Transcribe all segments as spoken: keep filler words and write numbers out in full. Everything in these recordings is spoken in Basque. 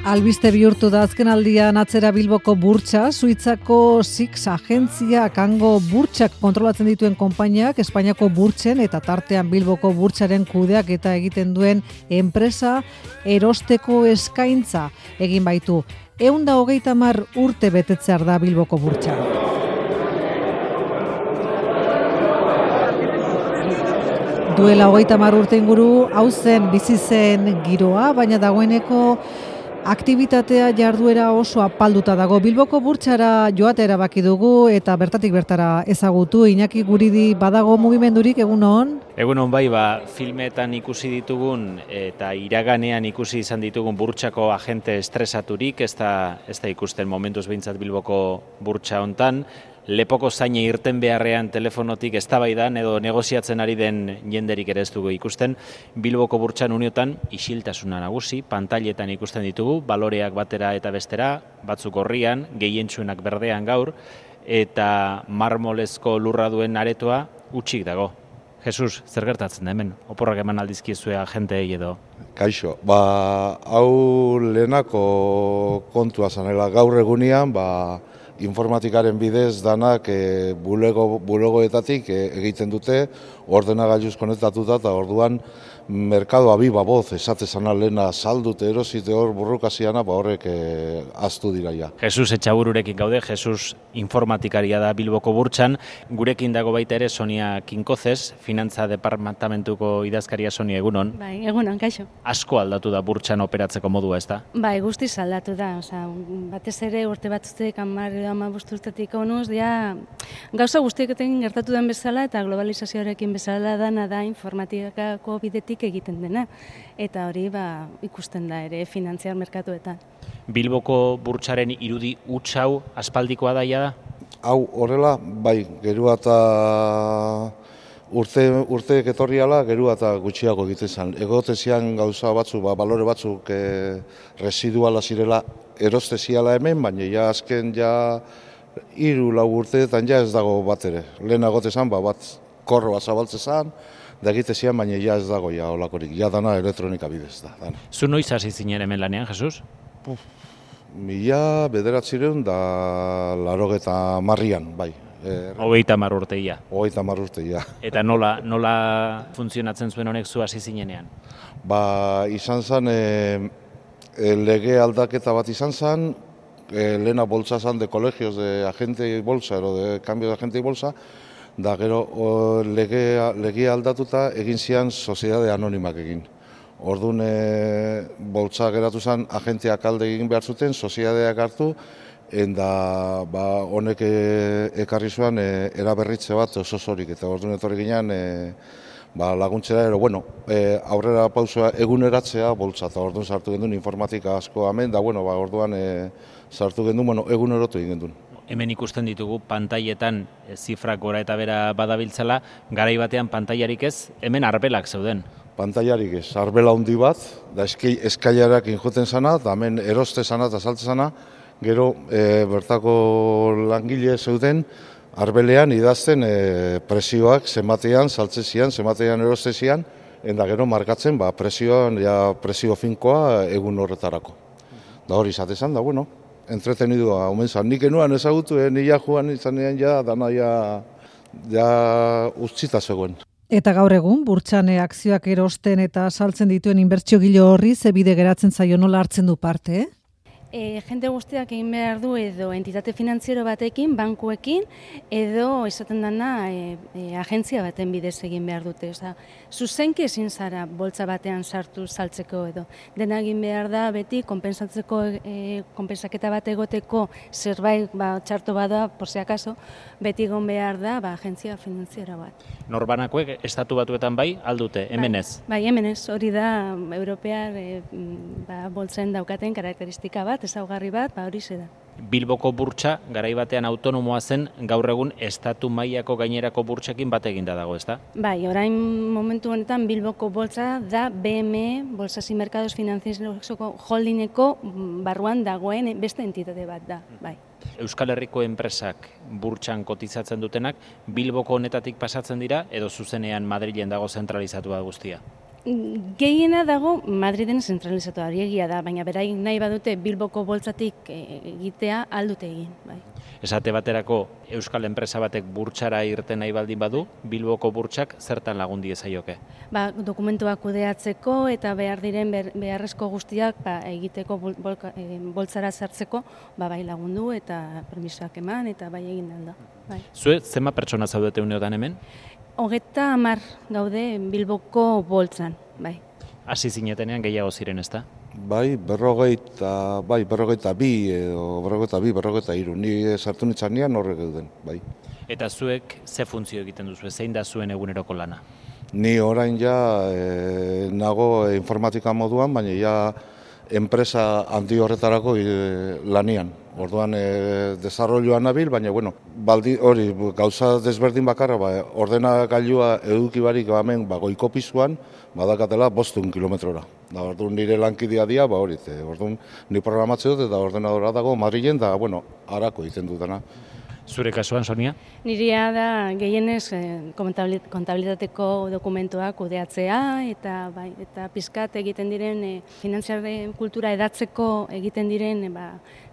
Albiste bihurtu da azkenaldian atzera Bilboko burtsa, Suitzako Six agentziak hango burtsak kontrolatzen dituen konpainiak Espainiako burtsen eta tartean Bilboko burtsaren kudeak eta egiten duen enpresa erosteko eskaintza egin baitu. Ehun eta hogeita hamar urte betetzear da Bilboko burtsa. Duela hogeita hamar urte inguru hau zen bizi zen giroa, baina dagoeneko aktibitatea jarduera oso apalduta dago. Bilboko burtsara joatea erabaki dugu eta bertatik bertara ezagutu. Iñaki Guridi, badago mugimendurik, egunon? Egunon bai, ba, filmetan ikusi ditugun eta iraganean ikusi izan ditugun burtsako agente estresaturik, ez da, ez da ikusten momentuz behintzat Bilboko burtsa hontan. Lepoko zaine irten beharrean telefonotik eztabaidan edo negoziatzen ari den jenderik ere ez dugu ikusten. Bilboko burtsan uniotan isiltasuna nagusi, pantailetan ikusten ditugu, baloreak batera eta bestera, batzuk gorrian, gehientsuenak berdean gaur, eta marmolezko lurra duen aretoa hutsik dago. Jesus, zer gertatzen da hemen? Oporrak eman aldizkizue agenteei edo? Kaixo, ba, hau lehenako kontua zanela gaur egunean, ba, informatikaren bidez danak e, bulego, bulegoetatik e, egiten dute, ordenagailuz konektatuta eta orduan merkadoa bi baboz esatezana lehena saldute erosite hor burrukaziana, ba horrek e, aztu dira ja. Jesus Etxabururekin gaude, Jesus informatikaria da Bilboko burtsan, gurekin dago baita ere Sonia Kinkozes, Finantza Departamentuko idazkaria. Sonia, egunon. Bai, egunon, kaixo. Asko aldatu da burtsan operatzeko modua, ez da? Bai, guztiz aldatu da, osea, batez ere urte batzutek hamar edo hamabost urtetik honuz, ja, gauza guztieketan gertatu den bezala eta globalizazioarekin bezala dana da informatikako bidetik egiten dena. Eta hori ba, ikusten da ere finantziar merkatuetan. Bilboko burtsaren irudi huts hau aspaldikoa daia da? Hau horrela, bai, gerua eta urte, urteek etorriala, gerua eta gutxiago egiten zen. Egotezian gauza batzuk, ba, balore batzuk e, residuala zirela erosteziala hemen, baina ja azken ja hiru lau urteetan ja ez dago bat ere. Lehen agotezan, ba, bat korro bat zabaltze zen, da egitezian, baina ja ez dago ja olakorik. Ja dana elektronika bidez da. Dana. Zu noiz hasi zinen hemen lanean, Jesus? Puf, mila bederatzireun da larogeta marrian, bai. Hogeita hamar urteia. Hogeita hamar urteia. Eta nola, nola funtzionatzen zuen honek zu hasi zinenean? Ba, izan zen, e, e, lege aldaketa bat izan zen, e, lehena boltsa zen de kolegios de agentei bolsa, ero de cambio de agentei bolsa, da gero o, lege, lege aldatuta egin zian soziedade anonimak egin. Orduan e, boltsa geratu zen agenteak alde egin behar zuten, soziedadeak hartu, eta ba, honek e, ekarri zuen e, eraberritze bat oso zorik, eta orduan etorri ginen e, ba, laguntzera, ero, bueno, e, aurrera pausua eguneratzea boltsa, eta orduan sartu gendun informatika asko hemen, da bueno, ba, orduan e, sartu gendun, bueno, egunerotu egin gendun. Hemen ikusten ditugu pantailetan e, zifrak gora eta bera badabiltzala, garai batean pantailarik ez, hemen arbelak zeuden. Pantailarik ez, arbela handi bat, da eskailarak injoten zana, da hemen eroste zana eta salte zana, gero e, bertako langile zeuden arbelean idazten e, presioak zenbatean saltzezian, zenbatean erostezian, eta gero markatzen ba, presioan, ja, presio finkoa egun horretarako. Da hori izatezan, da bueno, entretenidua omen zan. Nik enuan ezagutu, eh, nila joan izanean ja, dana ja, ja utzita zegoen. Eta gaur egun, burtsane akzioak erosten eta saltzen dituen inbertsio gilo horri, ze bide geratzen zaio, nola hartzen du parte, eh? E, jente guztiak egin behar du edo entitate finantziero batekin, bankuekin, edo esaten dana e, e, agentzia baten bidez egin behar dute. Osa, zuzenki ezin zara boltsa batean sartu saltzeko edo. Dena egin behar da beti konpensatzeko, e, konpensaketa bat egoteko zerbait ba, txarto bada, por si acaso, beti egon behar da ba, agentzia finantziera bat. Norbanakoek estatu batuetan bai, aldute, hemen ez? Bai, bai, hemen ez, hori da europear e, ba, boltzen daukaten karakteristika bat, ezaugarri bat, ba hori da. Bilboko burtsa garai batean autonomoa zen, gaur egun estatu mailako gainerako burtsekin bat eginda dago, ezta? Bai, orain momentu honetan Bilboko boltsa da B M E, Bolsas y Mercados Financieros Holdingeko barruan dagoen beste entitate bat da, bai. Euskal Herriko enpresak burtsan kotizatzen dutenak Bilboko honetatik pasatzen dira edo zuzenean Madrilen dago zentralizatua guztia? Gehiena dago Madriden zentralizatu hori egia da, baina beraik nahi badute Bilboko boltsatik egitea aldute egin. Bai. Esate baterako euskal enpresa batek burtsara irten nahi baldin badu, Bilboko burtsak zertan lagun diezaioke? Ba, dokumentuak kudeatzeko eta behar diren beharrezko guztiak ba, egiteko bol, bolka, e, boltsara sartzeko ba, bai lagundu eta permisoak eman eta bai egin alda. Bai. Zue, zenba pertsona zaudete uneotan hemen? Hogeta hamar gaude Bilboko boltzan, bai. Hasi zinetenean gehiago ziren, ezta? Bai, berrogeita, bai, berrogeita bi, edo berrogeita bi, berrogeita hiru. Ni sartu nitzanean horrek geuden, bai. Eta zuek ze funtzio egiten duzu, zein da zuen eguneroko lana? Ni orain ja e, nago informatika moduan, baina ja enpresa handi horretarako e, lanian. Orduan e, desarrolloan nabil, baina bueno, baldi hori gauza desberdin bakarra, ba, ordenagailua eduki barik hemen ba, goiko pisuan, badakatela bostehun kilometrora. Da, orduan nire lankidea dia, ba hori, orduan ni programatzea dut eta ordenadora dago Madrilen da, bueno, harako egiten dutena. Zure kasuan, Sonia? Nirea da gehienez eh, kontabilitateko dokumentuak kudeatzea eta bai, eta pizkat egiten diren eh, finantziaren kultura edatzeko egiten diren eh, ba,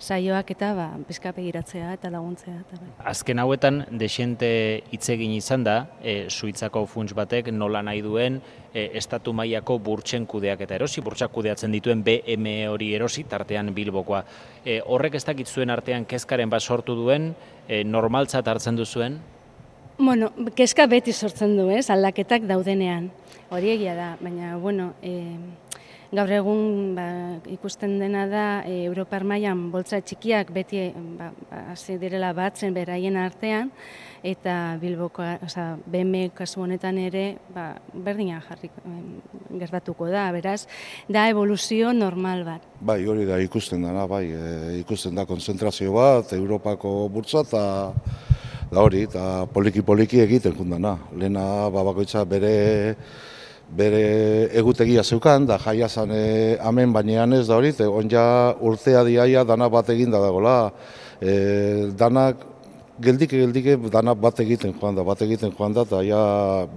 saioak eta ba, pizkat begiratzea eta laguntzea. Eta, bai. Azken hauetan, desente hitz egin izan da, e, Suitzako funts batek nola nahi duen e, estatu mailako burtsen kudeak eta erosi, burtsak kudeatzen dituen B M E hori erosi, tartean Bilbokoa. E, horrek ez dakit zuen artean kezkaren bat sortu duen, e, normaltzat hartzen duzuen? Bueno, kezka beti sortzen du, ez, aldaketak daudenean. Hori egia da, baina, bueno, e, gaur egun ba, ikusten dena da e, Europar mailan boltsa txikiak beti ba, hasi direla batzen beraien artean, eta Bilboko, osea, B M E kasu honetan ere ba, berdina jarri gertatuko da, beraz, da evoluzio normal bat. Bai, hori da ikusten dana, bai, e, ikusten da konzentrazio bat, Europako burtsa eta da hori, eta poliki-poliki egiten kundana. Lehena babakoitza bere bere egutegia zeukan, da jaia zan e, amen bainean ez da hori, on ja urtea diaia dana bat egin da dagoela, e, danak geldike geldike dana bat egiten joan da, bat egiten joan da, eta ja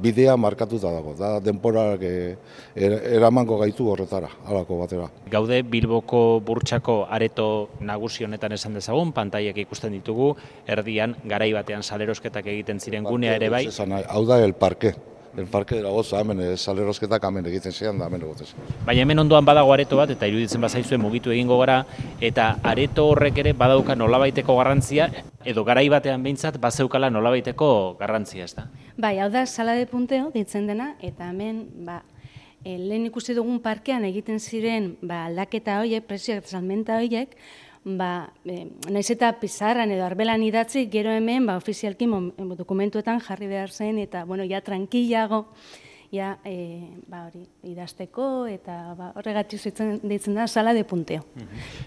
bidea markatuta dago, da denporak e, eramango gaitu horretara, halako batera. Gaude Bilboko burtsako areto nagusi honetan esan dezagun, pantaiak ikusten ditugu, erdian garai batean salerosketak egiten ziren gunea ere bai. Hau da el parke. El parke dela goza, hemen salerosketak hemen egiten zian da, hemen egotez. Baina hemen ondoan badago areto bat, eta iruditzen bazaizue mugitu egingo gara, eta areto horrek ere badauka nolabaiteko garrantzia, edo garai batean behintzat bazeukala nolabaiteko garrantzia, ez da? Bai, hau da sala de punteo ditzen dena, eta hemen, ba, e, lehen ikusi dugun parkean egiten ziren ba, aldaketa horiek, presioak eta salmenta horiek, ba, e, naiz eta pizarran edo arbelan idatzi, gero hemen ba, ofizialki dokumentuetan jarri behar zen, eta bueno, ja tranquilago, ja, e, ba, hori, idazteko, eta ba, horregatik deitzen da sala de punteo.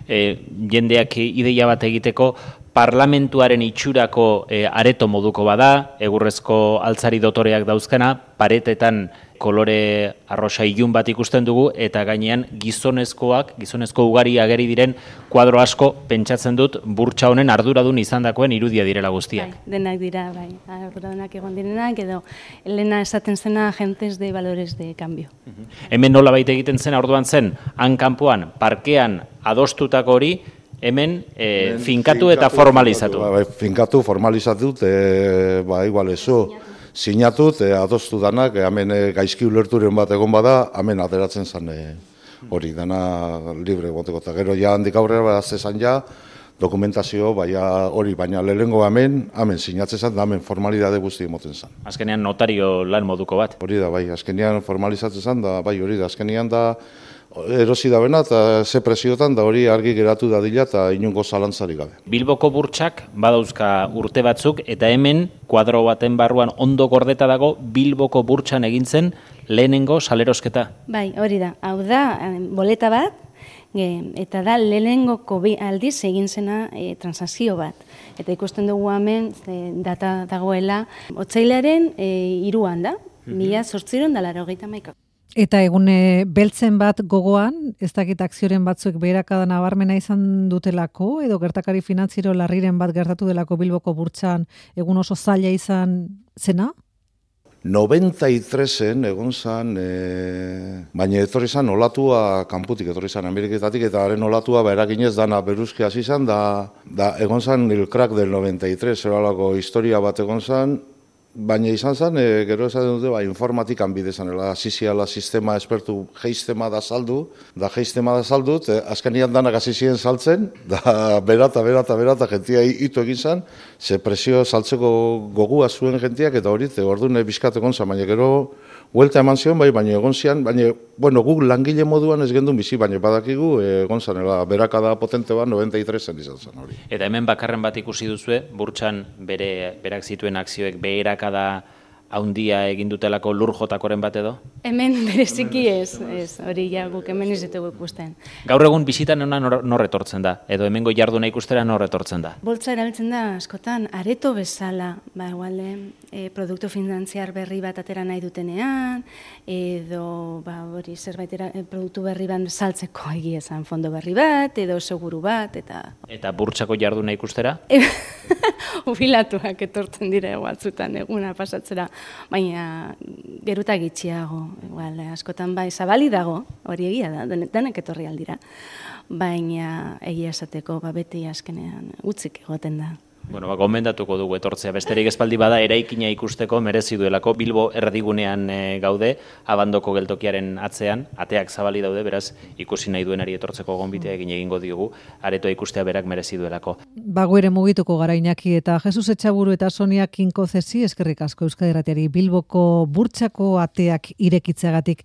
E, jendeak ideia bat egiteko, parlamentuaren itxurako e, areto moduko bada, egurrezko altzari dotoreak dauzkana, paretetan kolore arrosa ilun bat ikusten dugu, eta gainean gizonezkoak, gizonezko ugari ageri diren kuadro asko pentsatzen dut burtsa honen arduradun izandakoen irudia direla guztiak. Bai, denak dira, bai, arduradunak egon direnak, edo Elena esaten zena agentes de valores de cambio. Hemen nola baita egiten zen, orduan zen, han kanpoan, parkean adostutako hori, hemen e, finkatu eta formalizatu. Ba, finkatu, formalizatu, e, ba, igual ezo, sinatut, e, adostu danak, e, hemen e, gaizki ulerturen bat egon bada, hemen ateratzen zen e, hori, dana libre goteko. Eta gero ja handik aurrera, ba, zezan ja, dokumentazio, baina hori, baina lehengo hemen, hemen sinatzen zen, da hemen formalidade guzti emoten zen. Azkenean notario lan moduko bat. Hori da, bai, azkenean formalizatzen zen, da, bai, hori da, azkenean da, erosi da bena, eta ze presiotan, da hori argi geratu dadila, eta inungo zalantzarik gabe. Bilboko burtsak badauzka urte batzuk, eta hemen, kuadro baten barruan ondo gordeta dago, Bilboko burtsan egin zen lehenengo salerosketa. Bai, hori da, hau da, boleta bat, eta da lehenengoko bi aldiz egin zena e, transakzio bat. Eta ikusten dugu hemen e, data dagoela, otsailaren e, hiruan da, mila zortziehun eta laurogeita hamaika. Eta egune beltzen bat gogoan, ez dakit akzioren batzuk beherakada nabarmena izan dutelako, edo gertakari finantziero larriren bat gertatu delako Bilboko burtsan egun oso zaila izan zena? noventa y tresen egon zan, e, baina etorri zan olatua kanputik, etorri zan Ameriketatik, eta haren olatua ba, eraginez dana beruzki hasi zan, da, da egon zan el crack del noventa y tres, eralako historia bat egon zan, baina izan zen, e, gero esaten dute, ba, informatikan bide zanela, ziziala sistema espertu geiztema da saldu, da geiztema da saldu, e, azkenian danak hasi ziren saltzen, da berata, berata, berata, jentia hitu egin zen, ze presio saltzeko gogua zuen jentiak, eta hori, orduan bizkat egon zen, baina gero, huelta eman zion, bai, baina egon zian, baina, bueno, guk langile moduan ez gendun bizi, baina badakigu, egon zanela, berakada potente bat, noventa y tresen izan zen hori. Eta hemen bakarren bat ikusi duzue, burtsan bere, berak zituen akzioek beherakada haundia egin dutelako lur jotakoren bat edo? Hemen bereziki ez, ez, hori ja guk hemen ez ditugu ikusten. Gaur egun bisitan hona nor, nor etortzen da, edo hemengo jarduna ikustera nor etortzen da? Boltsa erabiltzen da askotan areto bezala, ba igual e, produktu finantziar berri bat atera nahi dutenean, edo ba hori zerbait era, produktu berri bat saltzeko egia esan fondo berri bat, edo seguru bat, eta... Eta burtsako jarduna ikustera? Jubilatuak etortzen dira batzutan eguna pasatzera, baina geruta gitxiago, igual, askotan bai zabali dago, hori egia da, denek etorri aldira, baina egia esateko ba, beti azkenean utzik egoten da. Bueno, ba, gomendatuko dugu etortzea, besterik espaldi bada eraikina ikusteko merezi duelako, Bilbo erdigunean e, gaude, abandoko geltokiaren atzean, ateak zabali daude, beraz ikusi nahi duenari etortzeko gonbitea egin egingo diogu, aretoa ikustea berak merezi duelako. Bago ere mugituko gara Iñaki eta Jesus Etxaburu eta Sonia Kinkozesi eskerrik asko Euskadi Irratiari Bilboko burtsako ateak irekitzeagatik.